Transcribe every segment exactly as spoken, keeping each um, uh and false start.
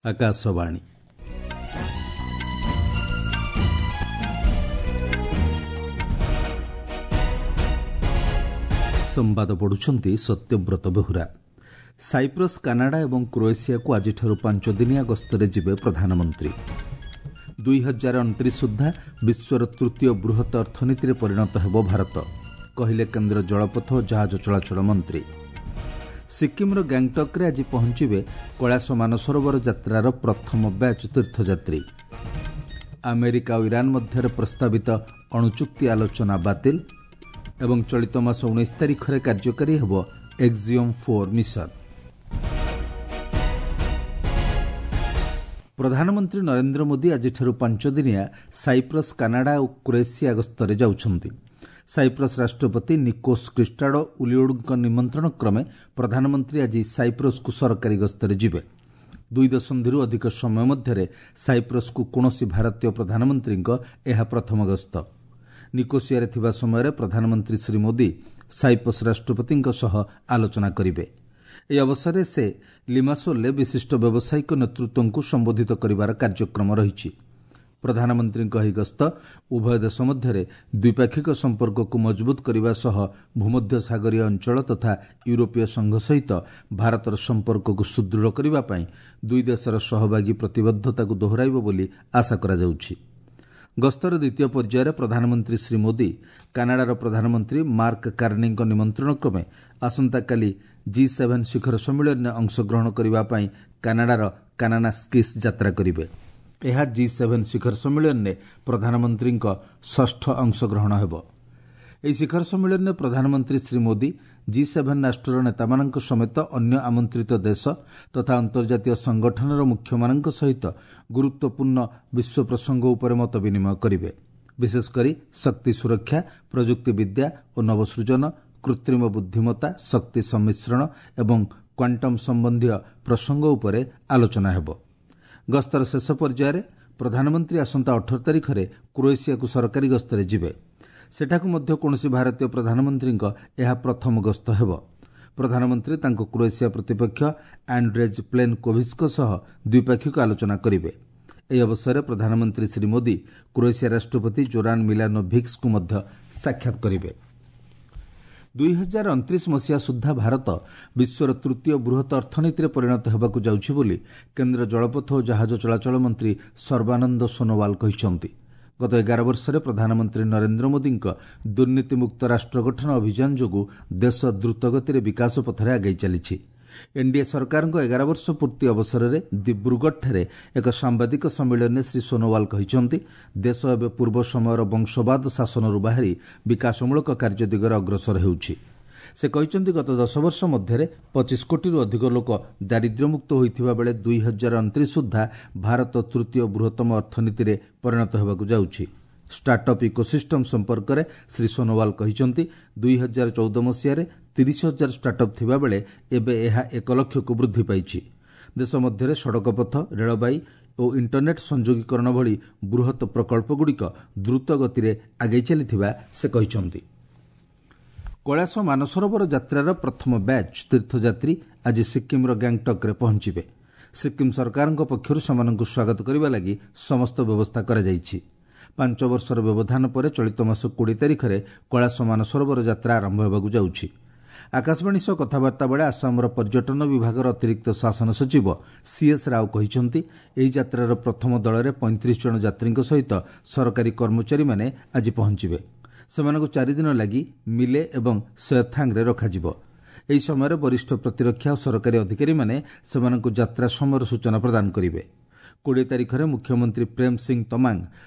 ଆକାଶବାଣୀ। ସମ୍ବାଦ ପଢୁଛନ୍ତି Satyabrata Behura. Cyprus, Canada ଏବଂ କ୍ରୋଏସିଆକୁ ଆଜିଠାରୁ ପାଞ୍ଚଦିନିଆ ଗସ୍ତରେ ଯିବେ ପ୍ରଧାନମନ୍ତ୍ରୀ। ଦୁଇ ହଜାର ଅଣତିରିଶ ସୁଦ୍ଧା ବିଶ୍ୱର ତୃତୀୟ ବୃହତ୍ ଅର୍ଥନୀତିରେ ପରିଣତ ହେବ ଭାରତ, କହିଲେ କେନ୍ଦ୍ର ଜଳପଥ ଓ ଜାହାଜ ଚଳାଚଳ ମନ୍ତ୍ରୀ। ସିକ୍କିମ୍ର ଗ୍ୟାଙ୍ଗଟକ୍ରେ ଆଜି ପହଞ୍ଚିବେ କୈଳାସ ମାନସରୋବର ଯାତ୍ରାର ପ୍ରଥମ ବ୍ୟାଚ୍ ତୀର୍ଥଯାତ୍ରୀ। ଆମେରିକା ଓ ଇରାନ ମଧ୍ୟରେ ପ୍ରସ୍ତାବିତ ଅଣୁଚୁକ୍ତି ଆଲୋଚନା ବାତିଲ ଏବଂ ଚଳିତ ମାସ ଉଣେଇଶ ତାରିଖରେ କାର୍ଯ୍ୟକାରୀ ହେବ ଏକ୍ଜିଓମ୍ ଫୋର୍ ମିଶନ। ପ୍ରଧାନମନ୍ତ୍ରୀ ନରେନ୍ଦ୍ର ମୋଦି ଆଜିଠାରୁ ପାଞ୍ଚଦିନିଆ ସାଇପ୍ରସ୍, କାନାଡା ଓ କ୍ରୋଏସିଆ ଗସ୍ତରେ ଯାଉଛନ୍ତି। ସାଇପ୍ରସ୍ ରାଷ୍ଟ୍ରପତି ନିକୋସ୍ କ୍ରିଷ୍ଟାଡୋ ଉଲିଓଡ୍ଙ୍କ ନିମନ୍ତ୍ରଣ କ୍ରମେ ପ୍ରଧାନମନ୍ତ୍ରୀ ଆଜି ସାଇପ୍ରସ୍କୁ ସରକାରୀ ଗସ୍ତରେ ଯିବେ। ଦୁଇ ଦଶନ୍ଧିରୁ ଅଧିକ ସମୟ ମଧ୍ୟରେ ସାଇପ୍ରସ୍କୁ କୌଣସି ଭାରତୀୟ ପ୍ରଧାନମନ୍ତ୍ରୀଙ୍କ ଏହା ପ୍ରଥମ ଗସ୍ତ। ନିକୋସିଆରେ ଥିବା ସମୟରେ ପ୍ରଧାନମନ୍ତ୍ରୀ ଶ୍ରୀ ମୋଦି ସାଇପ୍ରସ୍ ରାଷ୍ଟ୍ରପତିଙ୍କ ସହ ଆଲୋଚନା କରିବେ। ଏହି ଅବସରରେ ସେ ଲିମାସୋଲରେ ବିଶିଷ୍ଟ ବ୍ୟବସାୟିକ ନେତୃତ୍ୱଙ୍କୁ ସମ୍ବୋଧିତ କରିବାର କାର୍ଯ୍ୟକ୍ରମ ରହିଛି। ପ୍ରଧାନମନ୍ତ୍ରୀଙ୍କ ଏହି ଗସ୍ତ ଉଭୟ ଦେଶ ମଧ୍ୟରେ ଦ୍ୱିପାକ୍ଷିକ ସମ୍ପର୍କକୁ ମଜବୁତ କରିବା ସହ ଭୂମଧ୍ୟସାଗରୀୟ ଅଞ୍ଚଳ ତଥା ୟୁରୋପୀୟ ସଂଘ ସହିତ ଭାରତର ସମ୍ପର୍କକୁ ସୁଦୃଢ଼ କରିବା ପାଇଁ ଦୁଇ ଦେଶର ସହଭାଗୀ ପ୍ରତିବଦ୍ଧତାକୁ ଦୋହରାଇବ ବୋଲି ଆଶା କରାଯାଉଛି। ଗସ୍ତର ଦ୍ୱିତୀୟ ପର୍ଯ୍ୟାୟରେ ପ୍ରଧାନମନ୍ତ୍ରୀ ଶ୍ରୀ ମୋଦି କାନାଡାର ପ୍ରଧାନମନ୍ତ୍ରୀ ମାର୍କ କାର୍ନିଙ୍କ ନିମନ୍ତ୍ରଣ କ୍ରମେ ଆସନ୍ତାକାଲି ଜି ସେଭେନ୍ ଶିଖର ସମ୍ମିଳନୀରେ ଅଂଶଗ୍ରହଣ କରିବା ପାଇଁ କାନାଡାର କାନାନାସ୍କିସ୍ ଯାତ୍ରା କରିବେ। ଏହା ଜି ସେଭେନ୍ ଶିଖର ସମ୍ମିଳନୀରେ ପ୍ରଧାନମନ୍ତ୍ରୀଙ୍କ ଷଷ୍ଠ ଅଂଶଗ୍ରହଣ ହେବ। ଏହି ଶିଖର ସମ୍ମିଳନୀରେ ପ୍ରଧାନମନ୍ତ୍ରୀ ଶ୍ରୀ ମୋଦି ଜି ସେଭେନ୍ ରାଷ୍ଟ୍ରର ନେତାମାନଙ୍କ ସମେତ ଅନ୍ୟ ଆମନ୍ତ୍ରିତ ଦେଶ ତଥା ଅନ୍ତର୍ଜାତୀୟ ସଂଗଠନର ମୁଖ୍ୟମାନଙ୍କ ସହିତ ଗୁରୁତ୍ୱପୂର୍ଣ୍ଣ ବିଶ୍ୱ ପ୍ରସଙ୍ଗ ଉପରେ ମତ ବିନିମୟ କରିବେ। ବିଶେଷକରି ଶକ୍ତି ସୁରକ୍ଷା, ପ୍ରଯୁକ୍ତିବିଦ୍ୟା ଓ ନବସୃଜନ, କୃତ୍ରିମ ବୁଦ୍ଧିମତ୍ତା, ଶକ୍ତି ସମ୍ମିଶ୍ରଣ ଏବଂ କ୍ୱାଣ୍ଟମ୍ ସମ୍ବନ୍ଧୀୟ ପ୍ରସଙ୍ଗ ଉପରେ ଆଲୋଚନା ହେବ। ଗସ୍ତର ଶେଷ ପର୍ଯ୍ୟାୟରେ ପ୍ରଧାନମନ୍ତ୍ରୀ ଆସନ୍ତା ଅଠର ତାରିଖରେ କ୍ରୋଏସିଆକୁ ସରକାରୀ ଗସ୍ତରେ ଯିବେ। ସେଠାକୁ ମଧ୍ୟ କୌଣସି ଭାରତୀୟ ପ୍ରଧାନମନ୍ତ୍ରୀଙ୍କ ଏହା ପ୍ରଥମ ଗସ୍ତ ହେବ। ପ୍ରଧାନମନ୍ତ୍ରୀ ତାଙ୍କ କ୍ରୋଏସିଆ ପ୍ରତିପକ୍ଷ ଆଣ୍ଡ୍ରେଜ୍ ପ୍ଲେନକୋଭିଚ୍ଙ୍କ ସହ ଦ୍ୱିପାକ୍ଷିକ ଆଲୋଚନା କରିବେ। ଏହି ଅବସରରେ ପ୍ରଧାନମନ୍ତ୍ରୀ ଶ୍ରୀ ମୋଦି କ୍ରୋଏସିଆ ରାଷ୍ଟ୍ରପତି ଜୋରାନ୍ ମିଲାନୋଭିକ୍ସଙ୍କୁ ମଧ୍ୟ ସାକ୍ଷାତ କରିବେ। ଦୁଇ ହଜାର ଅଣତିରିଶ ମସିହା ସୁଦ୍ଧା ଭାରତ ବିଶ୍ୱର ତୃତୀୟ ବୃହତ୍ ଅର୍ଥନୀତିରେ ପରିଣତ ହେବାକୁ ଯାଉଛି ବୋଲି କେନ୍ଦ୍ର ଜଳପଥ ଓ ଜାହାଜ ଚଳାଚଳ ମନ୍ତ୍ରୀ ସର୍ବାନନ୍ଦ ସୋନୋୱାଲ କହିଛନ୍ତି। ଗତ ଏଗାର ବର୍ଷରେ ପ୍ରଧାନମନ୍ତ୍ରୀ ନରେନ୍ଦ୍ର ମୋଦିଙ୍କ ଦୁର୍ନୀତିମୁକ୍ତ ରାଷ୍ଟ୍ର ଗଠନ ଅଭିଯାନ ଯୋଗୁଁ ଦେଶ ଦ୍ରୁତଗତିରେ ବିକାଶ ପଥରେ ଆଗେଇ ଚାଲିଛି। ଏନ୍ଡିଏ ସରକାରଙ୍କ ଏଗାର ବର୍ଷ ପୂର୍ତ୍ତି ଅବସରରେ ଦିବ୍ରୁଗଡ଼ଠାରେ ଏକ ସାମ୍ବାଦିକ ସମ୍ମିଳନୀରେ ଶ୍ରୀ ସୋନୋୱାଲ କହିଛନ୍ତି, ଦେଶ ଏବେ ପୂର୍ବ ସମୟର ବଂଶବାଦ ଶାସନରୁ ବାହାରି ବିକାଶମୂଳକ କାର୍ଯ୍ୟ ଦିଗରେ ଅଗ୍ରସର ହେଉଛି। ସେ କହିଛନ୍ତି, ଗତ ଦଶ ବର୍ଷ ମଧ୍ୟରେ ପଚିଶ କୋଟିରୁ ଅଧିକ ଲୋକ ଦାରିଦ୍ର୍ୟମୁକ୍ତ ହୋଇଥିବା ବେଳେ ଦୁଇ ହଜାର ଅଣତିରିଶ ସୁଦ୍ଧା ଭାରତ ତୃତୀୟ ବୃହତ୍ତମ ଅର୍ଥନୀତିରେ ପରିଣତ ହେବାକୁ ଯାଉଛି। ଷ୍ଟାର୍ଟଅପ୍ ଇକୋସିଷ୍ଟମ୍ ସମ୍ପର୍କରେ ଶ୍ରୀ ସୋନୋୱାଲ କହିଛନ୍ତି, ଦୁଇ ହଜାର ଚଉଦ ମସିହାରେ ତିରିଶ ହଜାର ଷ୍ଟାର୍ଟଅପ୍ ଥିବାବେଳେ ଏବେ ଏହା ଏକ ଲକ୍ଷକୁ ବୃଦ୍ଧି ପାଇଛି। ଦେଶ ମଧ୍ୟରେ ସଡ଼କପଥ, ରେଳବାଇ ଓ ଇଣ୍ଟରନେଟ୍ ସଂଯୋଗୀକରଣ ଭଳି ବୃହତ୍ ପ୍ରକଳ୍ପଗୁଡ଼ିକ ଦ୍ରୁତ ଗତିରେ ଆଗେଇ ଚାଲିଥିବା ସେ କହିଛନ୍ତି। କୈଳାସ ମାନସରୋବର ଯାତ୍ରାର ପ୍ରଥମ ବ୍ୟାଚ୍ ତୀର୍ଥଯାତ୍ରୀ ଆଜି ସିକ୍କିମ୍ର ଗ୍ୟାଙ୍ଗଟକ୍ରେ ପହଞ୍ଚିବେ। ସିକ୍କିମ୍ ସରକାରଙ୍କ ପକ୍ଷରୁ ସେମାନଙ୍କୁ ସ୍ୱାଗତ କରିବା ଲାଗି ସମସ୍ତ ବ୍ୟବସ୍ଥା କରାଯାଇଛି। ପାଞ୍ଚ ବର୍ଷର ବ୍ୟବଧାନ ପରେ ଚଳିତ ମାସ କୋଡ଼ିଏ ତାରିଖରେ କୈଳାସ ମାନସରୋବର ଯାତ୍ରା ଆରମ୍ଭ ହେବାକୁ ଯାଉଛି। ଆକାଶବାଣୀ ସହ କଥାବାର୍ତ୍ତା ବେଳେ ଆସାମର ପର୍ଯ୍ୟଟନ ବିଭାଗର ଅତିରିକ୍ତ ଶାସନ ସଚିବ ସିଏସ୍ ରାଓ କହିଛନ୍ତି, ଏହି ଯାତ୍ରାର ପ୍ରଥମ ଦଳରେ ପଇଁତିରିଶ ଜଣ ଯାତ୍ରୀଙ୍କ ସହିତ ସରକାରୀ କର୍ମଚାରୀମାନେ ଆଜି ପହଞ୍ଚିବେ। ସେମାନଙ୍କୁ ଚାରିଦିନ ଲାଗି ମିଲେ ଏବଂ ସେରଥାଙ୍ଗରେ ରଖାଯିବ। ଏହି ସମୟରେ ବରିଷ୍ଠ ପ୍ରତିରକ୍ଷା ଓ ସରକାରୀ ଅଧିକାରୀମାନେ ସେମାନଙ୍କୁ ଯାତ୍ରା ସମୟର ସୂଚନା ପ୍ରଦାନ କରିବେ। କୋଡ଼ିଏ ତାରିଖରେ ମୁଖ୍ୟମନ୍ତ୍ରୀ ପ୍ରେମ ସିଂ ତମାଙ୍ଗ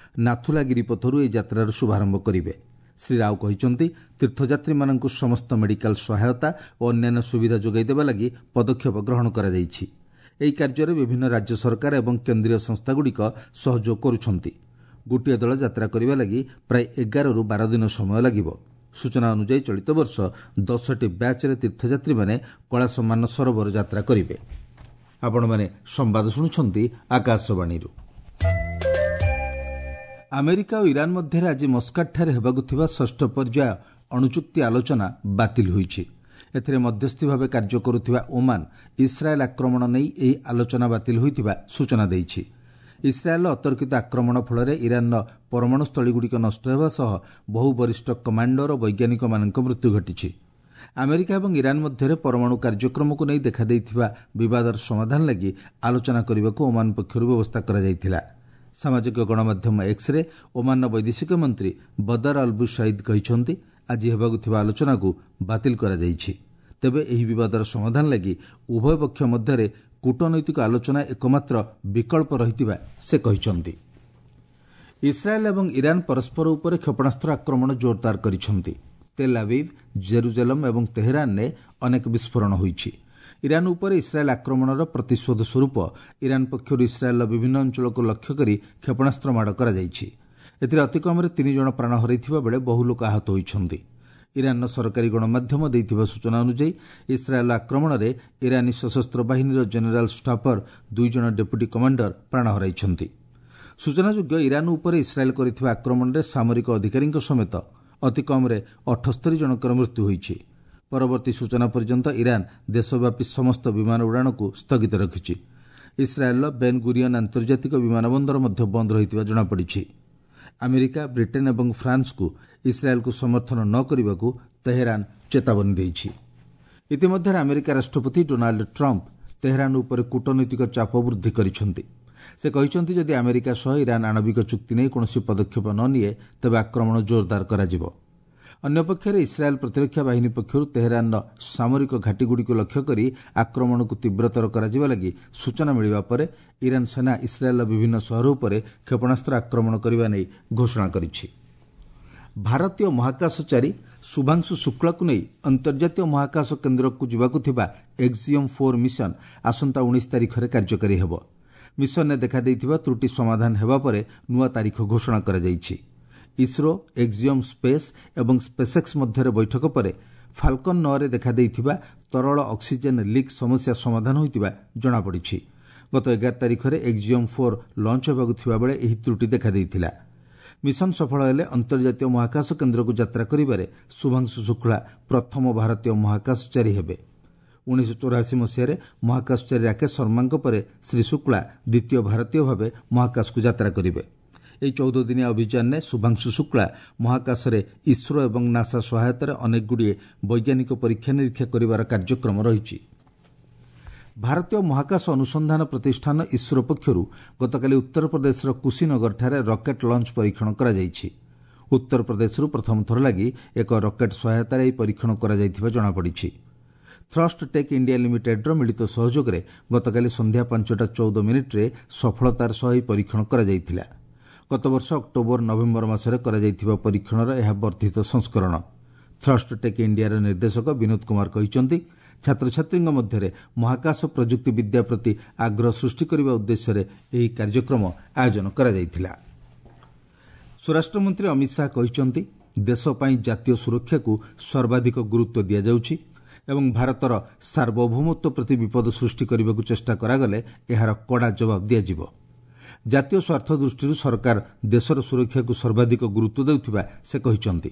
ନାଥୁଲା ଗିରିପଥରୁ ଏହି ଯାତ୍ରାର ଶୁଭାରମ୍ଭ କରିବେ। ଶ୍ରୀ ରାଓ କହିଛନ୍ତି, ତୀର୍ଥଯାତ୍ରୀମାନଙ୍କୁ ସମସ୍ତ ମେଡିକାଲ ସହାୟତା ଓ ଅନ୍ୟାନ୍ୟ ସୁବିଧା ଯୋଗାଇ ଦେବା ଲାଗି ପଦକ୍ଷେପ ଗ୍ରହଣ କରାଯାଇଛି। ଏହି କାର୍ଯ୍ୟରେ ବିଭିନ୍ନ ରାଜ୍ୟ ସରକାର ଏବଂ କେନ୍ଦ୍ରୀୟ ସଂସ୍ଥାଗୁଡ଼ିକ ସହଯୋଗ କରୁଛନ୍ତି। ଗୋଟିଏ ଦଳ ଯାତ୍ରା କରିବା ଲାଗି ପ୍ରାୟ ଏଗାରରୁ ବାର ଦିନ ସମୟ ଲାଗିବ। ସୂଚନା ଅନୁଯାୟୀ ଚଳିତ ବର୍ଷ ଦଶଟି ବ୍ୟାଚ୍ରେ ତୀର୍ଥଯାତ୍ରୀମାନେ କୈଳାସ ମାନସରୋବର ଯାତ୍ରା କରିବେ। ଆପଣମାନେ ସମ୍ବାଦ ଶୁଣୁଛନ୍ତି ଆକାଶବାଣୀରୁ। ଆମେରିକା ଓ ଇରାନ ମଧ୍ୟରେ ଆଜି ମସ୍କାଟଠାରେ ହେବାକୁ ଥିବା ଷଷ୍ଠ ପର୍ଯ୍ୟାୟ ଅଣୁଚୁକ୍ତି ଆଲୋଚନା ବାତିଲ ହୋଇଛି। ଏଥିରେ ମଧ୍ୟସ୍ଥି ଭାବେ କାର୍ଯ୍ୟ କରୁଥିବା ଓମାନ ଇସ୍ରାଏଲ୍ ଆକ୍ରମଣ ନେଇ ଏହି ଆଲୋଚନା ବାତିଲ ହୋଇଥିବା ସୂଚନା ଦେଇଛି। ଇସ୍ରାଏଲ୍ର ଅତର୍କିତ ଆକ୍ରମଣ ଫଳରେ ଇରାନ୍ର ପରମାଣୁ ସ୍ଥଳୀଗୁଡ଼ିକ ନଷ୍ଟ ହେବା ସହ ବହୁ ବରିଷ୍ଠ କମାଣ୍ଡର ଓ ବୈଜ୍ଞାନିକମାନଙ୍କ ମୃତ୍ୟୁ ଘଟିଛି। ଆମେରିକା ଏବଂ ଇରାନ୍ ମଧ୍ୟରେ ପରମାଣୁ କାର୍ଯ୍ୟକ୍ରମକୁ ନେଇ ଦେଖାଦେଇଥିବା ବିବାଦର ସମାଧାନ ଲାଗି ଆଲୋଚନା କରିବାକୁ ଓମାନ ପକ୍ଷରୁ ବ୍ୟବସ୍ଥା କରାଯାଇଥିଲା। ସାମାଜିକ ଗଣମାଧ୍ୟମ ଏକ୍ସରେ ଓମାନର ବୈଦେଶିକ ମନ୍ତ୍ରୀ ବଦର ଅଲ୍ବୁ ସଇଦ୍ କହିଛନ୍ତି, ଆଜି ହେବାକୁ ଥିବା ଆଲୋଚନାକୁ ବାତିଲ କରାଯାଇଛି। ତେବେ ଏହି ବିବାଦର ସମାଧାନ ଲାଗି ଉଭୟ ପକ୍ଷ ମଧ୍ୟରେ କୂଟନୈତିକ ଆଲୋଚନା ଏକମାତ୍ର ବିକଳ୍ପ ରହିଥିବା ସେ କହିଛନ୍ତି। ଇସ୍ରାଏଲ୍ ଏବଂ ଇରାନ୍ ପରସ୍ପର ଉପରେ କ୍ଷେପଣାସ୍ତ୍ର ଆକ୍ରମଣ ଜୋରଦାର କରିଛନ୍ତି। ତେଲ୍ ଆଭିଭ୍, ଜେରୁଜେଲମ୍ ଏବଂ ତେହେରାନରେ ଅନେକ ବିସ୍ଫୋରଣ ହୋଇଛି। ଇରାନ୍ ଉପରେ ଇସ୍ରାଏଲ୍ ଆକ୍ରମଣର ପ୍ରତିଶୋଧ ସ୍ୱରୂପ ଇରାନ୍ ପକ୍ଷରୁ ଇସ୍ରାଏଲ୍ର ବିଭିନ୍ନ ଅଞ୍ଚଳକୁ ଲକ୍ଷ୍ୟ କରି କ୍ଷେପଣାସ୍ତ୍ର ମାଡ଼ କରାଯାଇଛି। ଏଥିରେ ଅତିକମ୍ରେ ତିନି ଜଣ ପ୍ରାଣ ହରାଇଥିବା ବେଳେ ବହୁ ଲୋକ ଆହତ ହୋଇଛନ୍ତି। ଇରାନ୍ର ସରକାରୀ ଗଣମାଧ୍ୟମ ଦେଇଥିବା ସୂଚନା ଅନୁଯାୟୀ ଇସ୍ରାଏଲ୍ ଆକ୍ରମଣରେ ଇରାନୀ ସଶସ୍ତ୍ର ବାହିନୀର ଜେନେରାଲ୍ ଷ୍ଟାଫର ଦୁଇ ଜଣ ଡେପୁଟି କମାଣ୍ଡର ପ୍ରାଣ ହରାଇଛନ୍ତି। ସୂଚନାଯୋଗ୍ୟ, ଇରାନ୍ ଉପରେ ଇସ୍ରାଏଲ୍ କରିଥିବା ଆକ୍ରମଣରେ ସାମରିକ ଅଧିକାରୀଙ୍କ ସମେତ ଅତିକମ୍ରେ ଅଠସ୍ତରୀ ଜଣଙ୍କର ମୃତ୍ୟୁ ହୋଇଛି। ପରବର୍ତ୍ତୀ ସୂଚନା ପର୍ଯ୍ୟନ୍ତ ଇରାନ୍ ଦେଶବ୍ୟାପୀ ସମସ୍ତ ବିମାନ ଉଡ଼ାଣକୁ ସ୍ଥଗିତ ରଖିଛି। ଇସ୍ରାଏଲ୍ର ବେନ୍ ଗୁରିୟନ୍ ଆନ୍ତର୍ଜାତିକ ବିମାନ ବନ୍ଦର ମଧ୍ୟ ବନ୍ଦ ରହିଥିବା ଜଣାପଡ଼ିଛି। ଆମେରିକା, ବ୍ରିଟେନ୍ ଏବଂ ଫ୍ରାନ୍ସକୁ ଇସ୍ରାଏଲ୍କୁ ସମର୍ଥନ ନ କରିବାକୁ ତେହେରାନ ଚେତାବନୀ ଦେଇଛି। ଇତିମଧ୍ୟରେ ଆମେରିକା ରାଷ୍ଟ୍ରପତି ଡୋନାଲ୍ଡ ଟ୍ରମ୍ପ ତେହେରାନ ଉପରେ କୂଟନୈତିକ ଚାପ ବୃଦ୍ଧି କରିଛନ୍ତି। ସେ କହିଛନ୍ତି, ଯଦି ଆମେରିକା ସହ ଇରାନ୍ ଆଣବିକ ଚୁକ୍ତି ନେଇ କୌଣସି ପଦକ୍ଷେପ ନ ନିଏ, ତେବେ ଆକ୍ରମଣ ଜୋରଦାର କରାଯିବ। ଅନ୍ୟପକ୍ଷରେ ଇସ୍ରାଏଲ୍ ପ୍ରତିରକ୍ଷା ବାହିନୀ ପକ୍ଷରୁ ତେହେରାନର ସାମରିକ ଘାଟିଗୁଡ଼ିକୁ ଲକ୍ଷ୍ୟ କରି ଆକ୍ରମଣକୁ ତୀବ୍ରତର କରାଯିବା ଲାଗି ସୂଚନା ମିଳିବା ପରେ ଇରାନ୍ ସେନା ଇସ୍ରାଏଲ୍ର ବିଭିନ୍ନ ସହର ଉପରେ କ୍ଷେପଣାସ୍ତ୍ର ଆକ୍ରମଣ କରିବା ନେଇ ଘୋଷଣା କରିଛି। ଭାରତୀୟ ମହାକାଶଚାରୀ ଶୁଭାଂଶୁ ଶୁକ୍ଳାକୁ ନେଇ ଅନ୍ତର୍ଜାତୀୟ ମହାକାଶ କେନ୍ଦ୍ରକୁ ଯିବାକୁ ଥିବା ଏକ୍ସିୟମ୍ ଫୋର୍ ମିଶନ ଆସନ୍ତା ଉଣେଇଶ ତାରିଖରେ କାର୍ଯ୍ୟକାରୀ ହେବ। ମିଶନରେ ଦେଖାଦେଇଥିବା ତ୍ରୁଟି ସମାଧାନ ହେବା ପରେ ନୂଆ ତାରିଖ ଘୋଷଣା କରାଯାଇଛି। ଇସ୍ରୋ, ଏକ୍ସିୟମ୍ ସ୍ପେସ୍ ଏବଂ ସ୍ପେସ୍ଏକ୍ସ ମଧ୍ୟରେ ବୈଠକ ପରେ ଫାଲକନ୍ ନଅରେ ଦେଖାଦେଇଥିବା ତରଳ ଅକ୍ସିଜେନ୍ ଲିକ୍ ସମସ୍ୟା ସମାଧାନ ହୋଇଥିବା ଜଣାପଡ଼ିଛି। ଗତ ଏଗାର ତାରିଖରେ ଏକ୍ସିୟମ୍ ଫୋର୍ ଲଞ୍ଚ ହେବାକୁ ଥିବାବେଳେ ଏହି ତ୍ରୁଟି ଦେଖାଦେଇଥିଲା। ମିଶନ ସଫଳ ହେଲେ ଅନ୍ତର୍ଜାତୀୟ ମହାକାଶ କେନ୍ଦ୍ରକୁ ଯାତ୍ରା କରିବାରେ ଶୁଭାଂଶୁ ଶୁକ୍ଳା ପ୍ରଥମ ଭାରତୀୟ ମହାକାଶଚାରୀ ହେବେ। ଉଣେଇଶହ ଚଉରାଅଶୀ ମସିହାରେ ମହାକାଶଚାରୀ ରାକେଶ ଶର୍ମାଙ୍କ ପରେ ଶ୍ରୀ ଶୁକ୍ଳା ଦ୍ୱିତୀୟ ଭାରତୀୟ ଭାବେ ମହାକାଶକୁ ଯାତ୍ରା କରିବେ। ଏହି ଚଉଦ ଦିନିଆ ଅଭିଯାନରେ ଶୁଭାଂଶୁ ଶୁକ୍ଳା ମହାକାଶରେ ଇସ୍ରୋ ଏବଂ ନାସା ସହାୟତାରେ ଅନେକଗୁଡ଼ିଏ ବୈଜ୍ଞାନିକ ପରୀକ୍ଷା ନିରୀକ୍ଷା କରିବାର କାର୍ଯ୍ୟକ୍ରମ ରହିଛି। ଭାରତୀୟ ମହାକାଶ ଅନୁସନ୍ଧାନ ପ୍ରତିଷ୍ଠାନ ଇସ୍ରୋ ପକ୍ଷରୁ ଗତକାଲି ଉତ୍ତରପ୍ରଦେଶର କୁଶୀନଗରଠାରେ ରକେଟ୍ ଲଞ୍ଚ ପରୀକ୍ଷଣ କରାଯାଇଛି। ଉତ୍ତରପ୍ରଦେଶରୁ ପ୍ରଥମ ଥର ଲାଗି ଏକ ରକେଟ୍ ସହାୟତାରେ ଏହି ପରୀକ୍ଷଣ କରାଯାଇଥିବା ଜଣାପଡ଼ିଛି। ଥ୍ରଷ୍ଟ ଟେକ୍ ଇଣ୍ଡିଆ ଲିମିଟେଡ୍ର ମିଳିତ ସହଯୋଗରେ ଗତକାଲି ସନ୍ଧ୍ୟା ପାଞ୍ଚଟା ଚଉଦ ମିନିଟ୍ରେ ସଫଳତାର ସହ ଏହି ପରୀକ୍ଷଣ କରାଯାଇଥିଲା। ଗତବର୍ଷ ଅକ୍ଟୋବର ନଭେମ୍ବର ମାସରେ କରାଯାଇଥିବା ପରୀକ୍ଷଣର ଏହା ବର୍ଦ୍ଧିତ ସଂସ୍କରଣ। ଥ୍ରଷ୍ଟ ଟେକ୍ ଇଣ୍ଡିଆର ନିର୍ଦ୍ଦେଶକ ବିନୋଦ କୁମାର କହିଛନ୍ତି, ଛାତ୍ରଛାତ୍ରୀଙ୍କ ମଧ୍ୟରେ ମହାକାଶ ପ୍ରଯୁକ୍ତିବିଦ୍ୟା ପ୍ରତି ଆଗ୍ରହ ସୃଷ୍ଟି କରିବା ଉଦ୍ଦେଶ୍ୟରେ ଏହି କାର୍ଯ୍ୟକ୍ରମ ଆୟୋଜନ କରାଯାଇଥିଲା। ସ୍ୱରାଷ୍ଟ୍ରମନ୍ତ୍ରୀ ଅମିତ ଶାହା କହିଛନ୍ତି, ଦେଶ ପାଇଁ ଜାତୀୟ ସୁରକ୍ଷାକୁ ସର୍ବାଧିକ ଗୁରୁତ୍ୱ ଦିଆଯାଉଛି ଏବଂ ଭାରତର ସାର୍ବଭୌମତ୍ୱ ପ୍ରତି ବିପଦ ସୃଷ୍ଟି କରିବାକୁ ଚେଷ୍ଟା କରାଗଲେ ଏହାର କଡ଼ା ଜବାବ ଦିଆଯିବ। ଜାତୀୟ ସ୍ୱାର୍ଥ ଦୃଷ୍ଟିରୁ ସରକାର ଦେଶର ସୁରକ୍ଷାକୁ ସର୍ବାଧିକ ଗୁରୁତ୍ୱ ଦେଉଥିବା ସେ କହିଛନ୍ତି।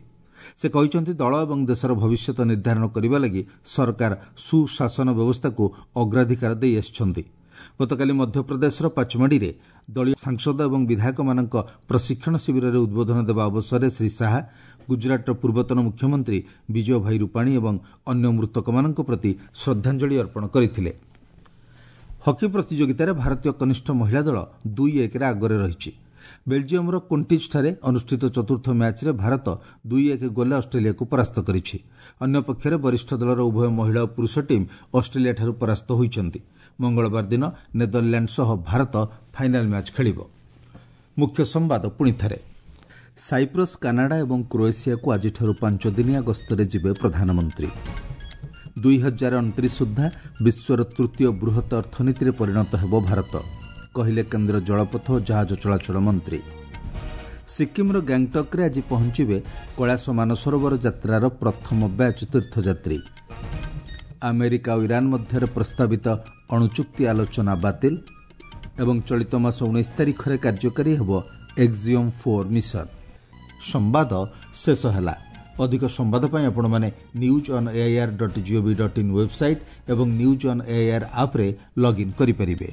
ସେ କହିଛନ୍ତି, ଦଳ ଏବଂ ଦେଶର ଭବିଷ୍ୟତ ନିର୍ଦ୍ଧାରଣ କରିବା ଲାଗି ସରକାର ସୁଶାସନ ବ୍ୟବସ୍ଥାକୁ ଅଗ୍ରାଧିକାର ଦେଇ ଆସିଛନ୍ତି। ଗତକାଲି ମଧ୍ୟପ୍ରଦେଶର ପାଚମାଡ଼ିରେ ଦଳୀୟ ସାଂସଦ ଏବଂ ବିଧାୟକମାନଙ୍କ ପ୍ରଶିକ୍ଷଣ ଶିବିରରେ ଉଦ୍ବୋଧନ ଦେବା ଅବସରରେ ଶ୍ରୀ ଶାହା ଗୁଜରାଟର ପୂର୍ବତନ ମୁଖ୍ୟମନ୍ତ୍ରୀ ବିଜୟ ଭାଇ ରୂପାଣୀ ଏବଂ ଅନ୍ୟ ମୃତକମାନଙ୍କ ପ୍ରତି ଶ୍ରଦ୍ଧାଞ୍ଜଳି ଅର୍ପଣ କରିଥିଲେ। ହକି ପ୍ରତିଯୋଗିତାରେ ଭାରତୀୟ କନିଷ୍ଠ ମହିଳା ଦଳ ଦୁଇ ଏକରେ ଆଗରେ ରହିଛି। ବେଲଜିୟମର କୋଣ୍ଟିଜ୍ଠାରେ ଅନୁଷ୍ଠିତ ଚତୁର୍ଥ ମ୍ୟାଚ୍ରେ ଭାରତ ଦୁଇ ଏକ ଗୋଲରେ ଅଷ୍ଟ୍ରେଲିଆକୁ ପରାସ୍ତ କରିଛି। ଅନ୍ୟପକ୍ଷରେ ବରିଷ୍ଠ ଦଳର ଉଭୟ ମହିଳା ଓ ପୁରୁଷ ଟିମ୍ ଅଷ୍ଟ୍ରେଲିଆଠାରୁ ପରାସ୍ତ ହୋଇଛନ୍ତି। ମଙ୍ଗଳବାର ଦିନ ନେଦରଲ୍ୟାଣ୍ଡ ସହ ଭାରତ ଫାଇନାଲ୍ ମ୍ୟାଚ୍ ଖେଳିବ। ମୁଖ୍ୟ ସମ୍ବାଦ ପୁଣିଥରେ। ସାଇପ୍ରସ୍, କାନାଡା ଏବଂ କ୍ରୋଏସିଆକୁ ଆଜିଠାରୁ ପାଞ୍ଚ ଦିନିଆ ଗସ୍ତରେ ଯିବେ ପ୍ରଧାନମନ୍ତ୍ରୀ। ଦୁଇ ହଜାର ଅଣତିରିଶ ସୁଦ୍ଧା ବିଶ୍ୱର ତୃତୀୟ ବୃହତ୍ ଅର୍ଥନୀତିରେ ପରିଣତ ହେବ ଭାରତ, କହିଲେ କେନ୍ଦ୍ର ଜଳପଥ ଓ ଜାହାଜ ଚଳାଚଳ ମନ୍ତ୍ରୀ। ସିକ୍କିମ୍ର ଗ୍ୟାଙ୍ଗଟକ୍ରେ ଆଜି ପହଞ୍ଚିବେ କୈଳାସ ମାନସରୋବର ଯାତ୍ରାର ପ୍ରଥମ ବ୍ୟାଚ୍ ତୀର୍ଥଯାତ୍ରୀ। ଆମେରିକା ଓ ଇରାନ୍ ମଧ୍ୟରେ ପ୍ରସ୍ତାବିତ ଅଣୁଚୁକ୍ତି ଆଲୋଚନା ବାତିଲ ଏବଂ ଚଳିତ ମାସ ଉଣେଇଶ ତାରିଖରେ କାର୍ଯ୍ୟକାରୀ ହେବ ଏକ୍ସିୟମ୍ ଫୋର୍ ମିଶନ। ସମ୍ବାଦ ଶେଷ ହେଲା। ଅଧିକ ସମ୍ବାଦ ପାଇଁ ଆପଣମାନେ news on AIR dot gov dot in website ଏବଂ ନ୍ୟୁଜ୍ ଅନ୍ ଏଆଇଆର୍ ଆପ୍ରେ ଲଗ୍ଇନ୍ କରିପାରିବେ।